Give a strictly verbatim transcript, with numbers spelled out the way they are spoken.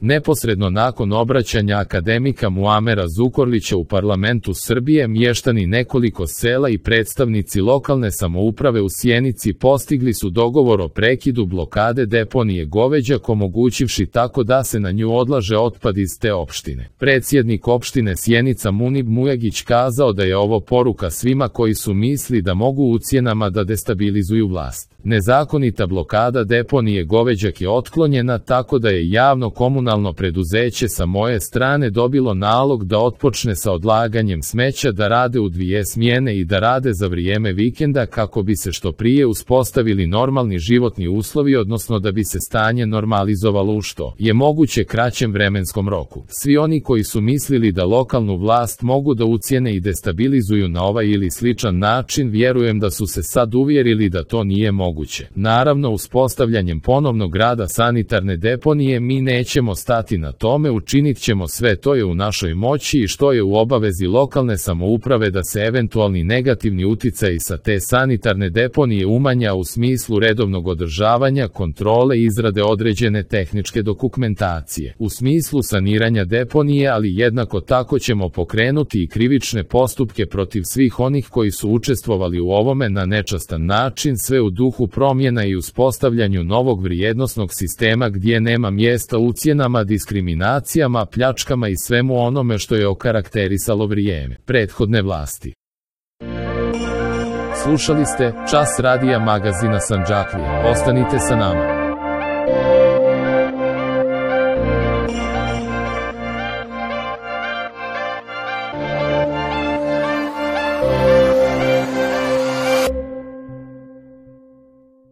Neposredno nakon obraćanja akademika Muamera Zukorlića u parlamentu Srbije, mještani nekoliko sela i predstavnici lokalne samouprave u Sjenici postigli su dogovor o prekidu blokade deponije Goveđak, omogućivši tako da se na nju odlaže otpad iz te opštine. Predsjednik opštine Sjenica Munib Mujagić kazao da je ovo poruka svima koji su misli da mogu ucjenama da destabilizuju vlast. Nezakonita blokada deponije Goveđak je otklonjena tako da je javno komunalno preduzeće sa moje strane dobilo nalog da otpočne sa odlaganjem smeća, da rade u dvije smjene i da rade za vrijeme vikenda kako bi se što prije uspostavili normalni životni uslovi, odnosno da bi se stanje normalizovalo u što je moguće kraćem vremenskom roku. Svi oni koji su mislili da lokalnu vlast mogu da ucijene i destabilizuju na ovaj ili sličan način, vjerujem da su se sad uvjerili da to nije moguće. Naravno, uspostavljanjem ponovnog rada sanitarne deponije mi nećemo stati na tome, učinit ćemo sve to je u našoj moći i što je u obavezi lokalne samouprave da se eventualni negativni uticaji sa te sanitarne deponije umanja u smislu redovnog održavanja, kontrole i izrade određene tehničke dokumentacije. U smislu saniranja deponije, ali jednako tako ćemo pokrenuti i krivične postupke protiv svih onih koji su učestvovali u ovome na nečastan način, sve u duhu promjena i uspostavljanju novog vrijednosnog sistema gdje nema mjesta ucjenama, diskriminacijama, pljačkama i svemu onome što je okarakterisalo vrijeme prethodne vlasti. Slušali ste Čas radija magazina Sandžaklija. Ostanite sa nama.